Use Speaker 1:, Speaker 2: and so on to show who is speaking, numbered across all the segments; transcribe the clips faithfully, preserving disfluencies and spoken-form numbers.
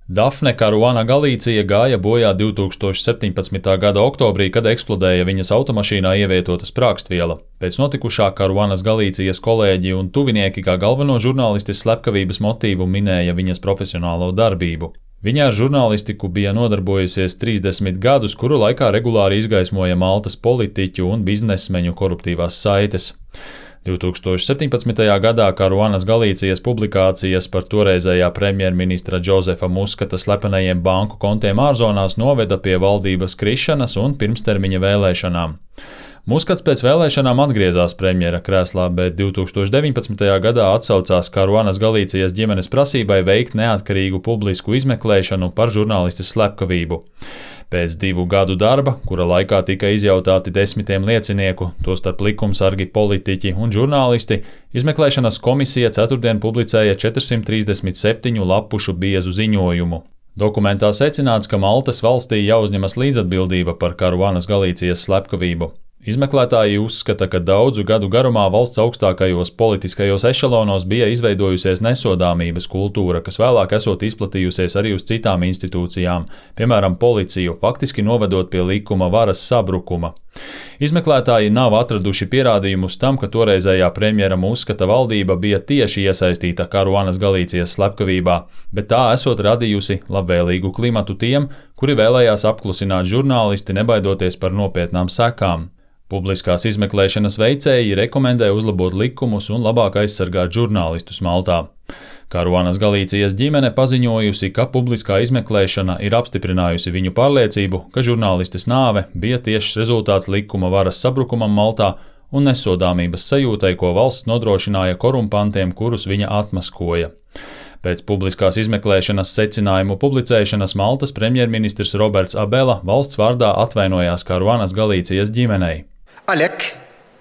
Speaker 1: Dafne Karuana Galīcija gāja bojā divtūkstoš septiņpadsmitā gada oktobrī, kad eksplodēja viņas automašīnā ievietota sprākstviela. Pēc notikušā Karuanas Galīcijas kolēģi un tuvinieki kā galveno žurnālistes slepkavības motīvu minēja viņas profesionālo darbību. Viņa ar žurnālistiku bija nodarbojusies trīsdesmit gadus, kuru laikā regulāri izgaismoja Maltas politiķu un biznesmeņu koruptīvās saites. divtūkstoš septiņpadsmitajā gadā Karuanas Galīcijas publikācijas par toreizējā premjerministra Džozefa Muskata slepenajiem banku kontiem ārzonās noveda pie valdības krišanas un pirmstermiņa vēlēšanām. Muskats pēc vēlēšanām atgriezās premjera krēslā, bet divtūkstoš deviņpadsmitajā gadā atsaucās Karuanas Galīcijas ģimenes prasībai veikt neatkarīgu publisku izmeklēšanu par žurnālistes slepkavību. Pēc divu gadu darba, kura laikā tika izjautāti desmitiem liecinieku, tostarp likumsargi, politiķi un žurnālisti, izmeklēšanas komisija ceturtdien publicēja četrsimt trīsdesmit septiņu lapušu biezu ziņojumu. Dokumentā secināts, ka Maltas valstī jāuzņemas līdzatbildība par Karuanas Galīcijas slepkavību. Izmeklētāji uzskata, ka daudzu gadu garumā valsts augstākajos politiskajos ešalonos bija izveidojusies nesodāmības kultūra, kas vēlāk esot izplatījusies arī uz citām institūcijām, piemēram, policiju, faktiski novedot pie likuma varas sabrukuma. Izmeklētāji nav atraduši pierādījumus tam, ka toreizējā premjera Muskata valdība bija tieši iesaistīta Karuanas Galīcijas slepkavībā, bet tā esot radījusi labvēlīgu klimatu tiem, kuri vēlējās apklusināt žurnālisti, nebaidoties par nopietnām sekām. Publiskās izmeklēšanas veicēji rekomendē uzlabot likumus un labāk aizsargāt žurnālistus Maltā. Karuanas Galīcijas ģimene paziņojusi, ka publiskā izmeklēšana ir apstiprinājusi viņu pārliecību, ka žurnālistes nāve bija tiešs rezultāts likuma varas sabrukumam Maltā un nesodāmības sajūtai, ko valsts nodrošināja korumpantiem, kurus viņa atmaskoja. Pēc publiskās izmeklēšanas secinājumu publicēšanas Maltas premjerministrs Roberts Abela valsts vārdā atvainojās Karuanas Galīcijas ģimenei.
Speaker 2: Għalhekk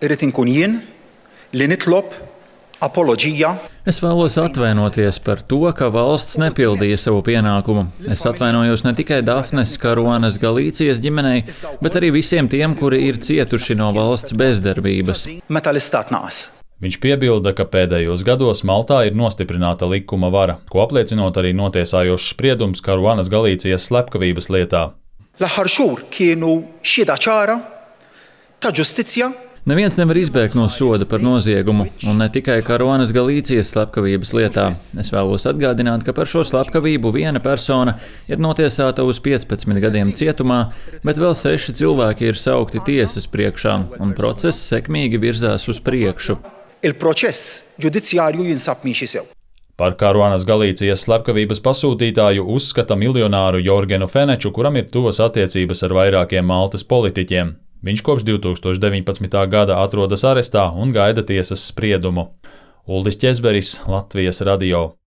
Speaker 2: irrid inkun jien li nitlob apoloģija.
Speaker 3: Es vēlos atvainoties par to, ka valsts nepildīja savu pienākumu. Es atvainojos ne tikai Dafnes Karuanas Galīcijas ģimenei, bet arī visiem tiem, kuri ir cietuši no valsts bezdarbības.
Speaker 2: Meta l-istat naqas.
Speaker 1: Viņš piebilda, ka pēdējos gados Maltā ir nostiprināta likuma vara, ko apliecinot arī notiesājošs spriedums Karuanas Galīcijas slepkavības lietā.
Speaker 2: L-aħħar xhur kienu xhieda ċara ta' ġustizzja.
Speaker 3: Neviens nevar izbēgt no soda par noziegumu, un ne tikai Karuanas Galīcijas slepkavības lietā. Es vēlos atgādināt, ka par šo slepkavību viena persona ir notiesāta uz piecpadsmit gadiem cietumā, bet vēl seši cilvēki ir saukti tiesas priekšā, un process sekmīgi virzās uz priekšu.
Speaker 2: Il-proċess ġudizzjarju jinsab miexi sew.
Speaker 1: Par Karuanas Galīcijas slepkavības pasūtītāju uzskata miljonāru Jorgenu Feneču, kuram ir tuvas attiecības ar vairākiem Maltas politiķiem. Viņš kopš divtūkstoš deviņpadsmitā gada atrodas arestā un gaida tiesas spriedumu. Uldis Ķezberis, Latvijas radio.